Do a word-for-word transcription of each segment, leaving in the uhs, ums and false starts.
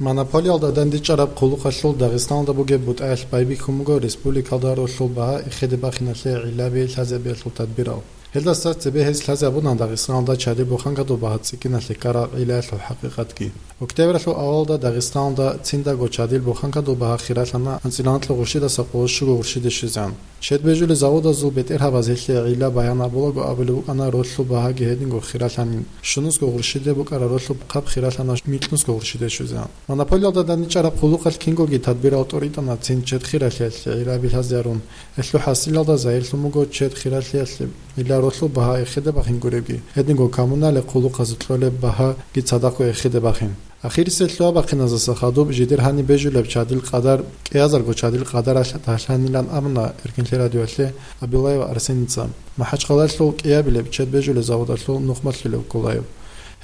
Монополиялда дандечӀараб хъулухъалъул Дагъистаналда бугеб бутӀаялъ байбихьун буго республикалда ролъул багьа эхеде бахиналъе гӀиллаби лъазабиялъул тадбирал. Гьелдаса цебе гьез лъазе абуна Дагъистаналда чадил буханкадул багьа цӀикӀкӀиналъе ккараб гӀиллаялъул хӀакъикъатги. Октябралъул авалалда Дагъистаналда циндаго чадил буханкадул багьа хиралъана анцӀила анкьго гъурщидаса къоло щуго гъурщиде щвезегӀан. Чед бежулел заводазул бетӀергьабаз гьелъие гӀилла баян абулаго абулеб букӀана ролъул багьаги гьединго хиралъанин, щунусго гъурщиде букӀараб ролъул хъаб хиралъана микьнусго гъурщиде щвезегӀан. Монополиялда даничӀараб хъулухъалъ кингоги тадбирал тӀоритӀана цин чед хиралъиялъе гӀилла билъазарун. Гьелъул хӀасилалда загьирлъун буго чед хиралъиялъе гӀилла ролъул багьа эхеде бахин гуребги, гьединго коммунале хъулухъазул кьолеб багьаги цадахъго эхеде бахин. Ахирисел лъугьа-бахъиназаса хадуб жидер гьаниб бежулеб чадил къадар, кӀиазарго чадил къадаралъ дагьлъанилан абуна Эркинлъи радиоялъе Абилаев Арсеница. МахӀачхъалалъул кӀиабилеб чед бежулеб заводалъул нухмалъулев Кулаев.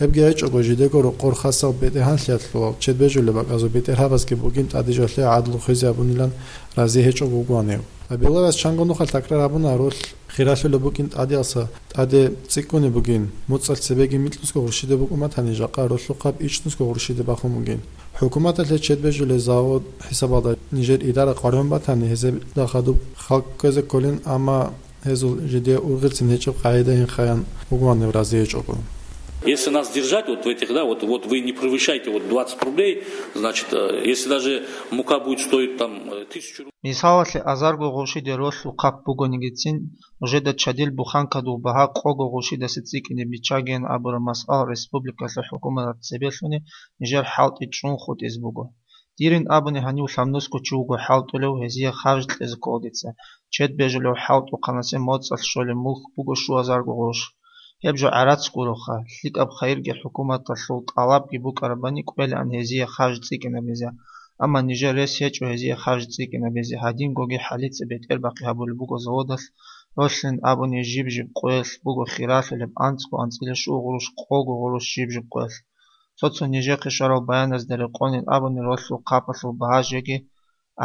Гьебги гьечӀого жидего рокъор хасал бетӀергьанлъиялъулал чед бежулеб бакӀазул бетӀергьабазги бугин тӀадежалъе гӀадлу хвезе абунилан рази гьечӀого вугоан гьев. Абилаевас чанго нухалъ такрар абуна ролъ хиралъулеб букӀин тӀадеялса тӀаде цӀикӀкӀунеб бугин, моцӀалъ цебеги микьнусго гъурщиде букӀун батани, жакъа ролъухъаб ичӀнусго гъурщиде бахун бугин. ХӀукуматалъе чед бежулел завод хӀисабалда нижер идара къваригӀун батани, гьезда хадуб халкъ кквезе кколин, амма гьезул жидее ургъелцин гьечӀеб къагӀидаин хаян вугоан гьев рази гьечӀого. Если нас держать вот в этих, да, вот, вот вы не превышайте вот двадцать рублей, значит, э, если даже мука будет стоить там э, тысячу рублей. Мисалалъе, азарго гъурщиде ролъул хъаб бугонигицин, нужеда чадил буханкадул багьа къого гъурщидаса цӀикӀкӀине биччагиян абураб масъала республикалъул хӀукуматалда цебелъуни нижер хӀалтӀи чӀун хутӀизе буго. Дирин абуни, гьанив лъабнусго чи вуго хӀалтӀулев гьезие харж кьезе ккола дица, чед бежулев хӀалтӀухъанасе моцӀалъ щолеб мулк буго щуазарго гъурущ. Гьеб жо гӀарац гуроха, лъикӀаб хайирги хӀукуматалъул тӀалабги букӀарабани кӀвелаан гьезие харж цӀикӀкӀинабизе, амма нижер рес гьечӀо гьезие харж цӀикӀкӀинабизе, гьадингоги хӀалица бетӀербахъи гьабулеб буго заводалъ, ролъин абуни жиб-жиб къоялъ буго хиралъулеб анцӀго анцӀила щуго гъурущ, къого гъурущ жиб-жиб къоялъ. Цо-цо нижехъе щварал баяназда рекъонин абуни ролъул хъабалъул багьа жеги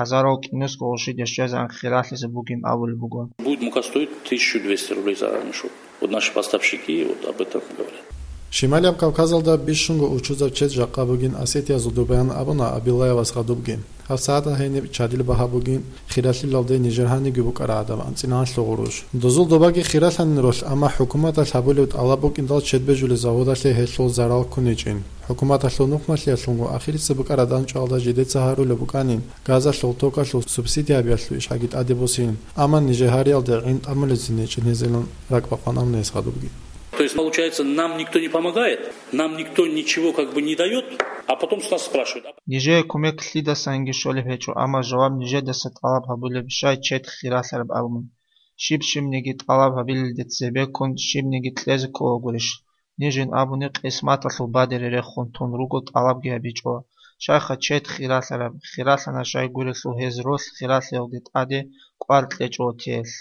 азарал кӀинусго гъурщиде щвезегӀан хиралъизе бугин абулеб буго. Будет мука стоить тысячу двести рублей за армию, вот наши поставщики вот об этом говорят. Шималияб Кавказалда бищунго учузаб чед жакъа бугин осетиязул добаян абуна Абилаевас гъадубги. ГьабсагӀатда гьениб чадил багьа бугин хиралъилалде нижер гьанибги букӀараб гӀадаб анцӀила анлъго гъурущ. Дозул добаги хиралъанин ролъ, амма хӀукуматалъ гьабулеб тӀалаб букӀиндал чед бежулеб заводалъе гьелъул зарал ккуничӀин. ХӀукуматалъул нухмалъиялъунго ахирисеб букӀараб данчӀвалда жидеца гьарулеб букӀанин, газалъул токалъул субсидия гьабиялъул ишгьаги тӀаде босин, амма нижер гьариялде гӀин тӀамулезин гьечӀин гьезилан ракӀбакъван абуна гьес гъадубги. То есть, получается, нам никто не помогает, нам никто ничего как бы не дает, а потом с нас спрашивают. А нижее кумек лъидасанги щолеб гьечӀо, амма жаваб нижедаса тӀалаб гьабулеб щай чед хиралъараб абун. Щиб-щибниги тӀалаб гьабилелде цебеккун щибниги кьезе ккола гурищ? Нижин абуни, къисматалъул бадере рехун тун руго, тӀалабги гьабичӀо. Щайха чед хиралъараб, хиралъана щай гурелъул гьез ролъ хиралъиялде тӀаде кӀвар кьечӀо тиялъ.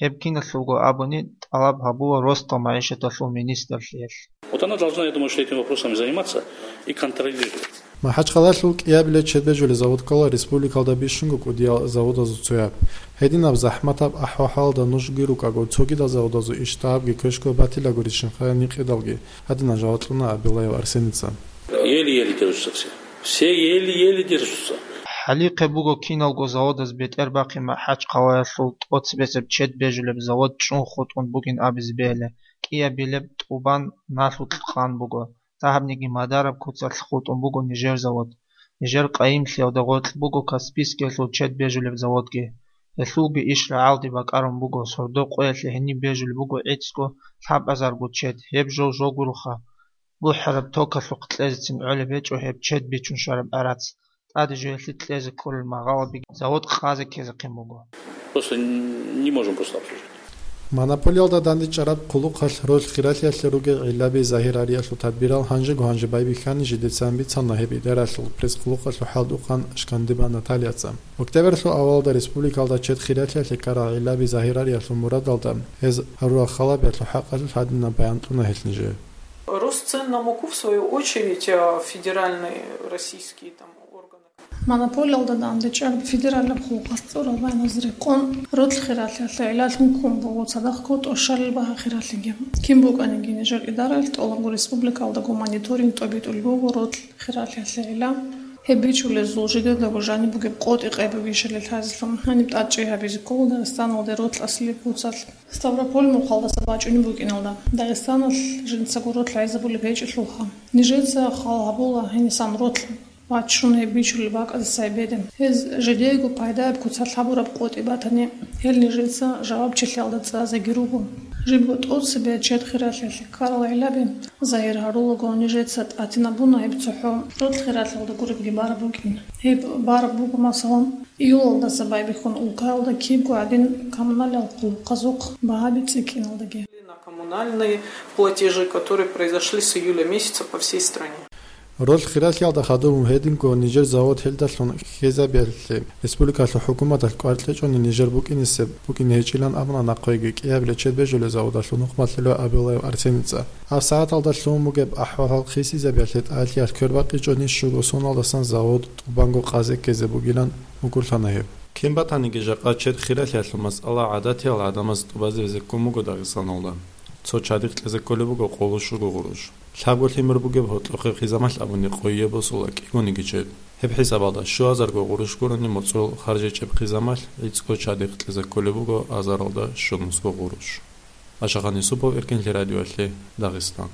Гьеб киналъулго абуни, тӀалаб гьабула росдал магӀишаталъул министрлъиялъ. Вот она должна, я думаю, что этим вопросом заниматься и контролировать. МахӀачхъалалъул кӀиабилеб чед бежулеб завод ккола республикалда бищунго кӀудиял заводазул цояб. Гьединаб захӀматаб ахӀвал-хӀалалда нужги рукӀаго, цогидал заводазул иштӀагьабги квешго батилагурищин хая никъидалги, гьадинаб жаваб кьуна Абилаев Арсеница. Еле-еле держатся все. Все еле-еле держатся. ХӀалихъе буго киналго заводаз бетӀербахъи МахӀачхъалаялъул тӀоцебесеб чед бежулеб завод чӀун хутӀун бугин абизе бегьила, кӀиабилеб тӀубан налъулъ къан буго. Дагьабниги мадараб куцалъ хутӀун буго нижер завод. Нижер къайимлъиялда гъоркь буго Каспийскиялъул чед бежулеб заводги. Гьелъулги иш рагӀалде бакӀарун буго, сордо къоялъе гьениб бежулеб буго гӀицӀго лъабазарго чед, гьеб жо жо гуроха. БухӀараб токалъухъ кьезецин гӀолеб гьечӀо гьеб чед бичун щвараб гӀарац. ТӀаде жо гьелъие кьезе кколел магъалаби завод къазе ккезехъин буго. Просто не можем просто обслужить. Монополиялда дандечӀараб хъулухъалъ ролъ хиралъиялъе ругел гӀиллаби загьир гьариялъул тадбирал гьанжего-гьанже байбихьани жидецан бицана гьеб идаралъул пресс-хъулухъалъул хӀалтӀухъан Шкандиба Натальяца. Октябрьлъул авалалда республикалда чед хиралъиялъе ккарал гӀиллаби загьир гьариялъул мурадалда гьез гьарурал халабиялъул хӀакъалъулъ гьадинаб баян кьуна гьелъ нижее. Рост цен на муку, в свою очередь, а, федеральные российские там органы. Монополиялда дандечӀараб федералияб хъулухъалъ цӀурал баяназда рекъон, ролъ хиралъиялъе гӀиллалъун ккун буго цадахъго тӀощалил багьа хиралъиги. Кин букӀаниги нижер идараялъ тӀолабго республикалдаго мониторинг тӀобитӀулеб буго ролъ хиралъиялъе гӀилла. Гьеб бичулезул жидедаго жаниб бугеб къотӀи къайбабищали лъазелъун гьаниб тӀадчӀей гьабизе ккола Дагъистаналде ролъ аслияб куцалъ. Ставрополь мухъалдаса бачӀунеб букӀиналда, Дагъистаналъ жинцаго ролъ гӀезабулеб гьечӀелъулха. Нижеца хал гьабула гьенисан ролъ вачун гьеб бичулеб бакӀаздаса гьебеде. Гьез жидеего пайдаяб куцалъ гьабураб къотӀи батани, гьел нижеца жавабчилъиялда цӀазеги руго. Жибго тӀоцебе чед хиралъиялъе ккарал гӀиллаби загьир гьарулаго, нижеца тӀатинабуна гьеб цохӀо ролъ хиралъиялда гуребги бараб букӀин. Гьеб бараб буго, масалан, июлалдаса байбихьун улкаялда кибго гӀадин коммуналиал къулухъазухъ багьаби цӀикӀкӀиналдаги. На коммунальные платежи, которые произошли с июля месяца по всей стране. Ролъ хиралъиялда хадуб гьединго нижер завод гьелдалъун хьезабиялъе республикалъул хӀукуматалъ кӀвар кьечӀони нижер букӀинисеб букӀине гьечӀилан абуна нахъеги кӀиабилеб чед бежулев заводалъул нухмалъулев Абилаев Арсеница. Гьаб сагӀаталда лъугьун бугеб ахӀвал-хӀал хисизабиялъе тӀалъиялъ квербакъичӀони щуго соналдасан завод тӀубанго къазе ккезе бугилан мукӀурлъана гьеб. Кин батаниги жакъа чед хиралъиялъул масъала гӀадатиял гӀадамаз тӀубазе везеккун буго Дагъистаналда. Цо чадихъ кьезе кколеб буго къоло щуго гъурущ. Лъабго лъимер бугеб гьоркьохъеб хъизамалъ абуни къойе босула кӀигониги чед. Гьеб хӀисабалда щуазарго гъурущ гурони моцӀрол харжичӀеб хъизамалъ гӀицӀго чадихъ кьезе кколеб буго азаралда щунусго гъурущ. Ашахан Юсупов, Эркинлъи радиоялъе, Дагъистан.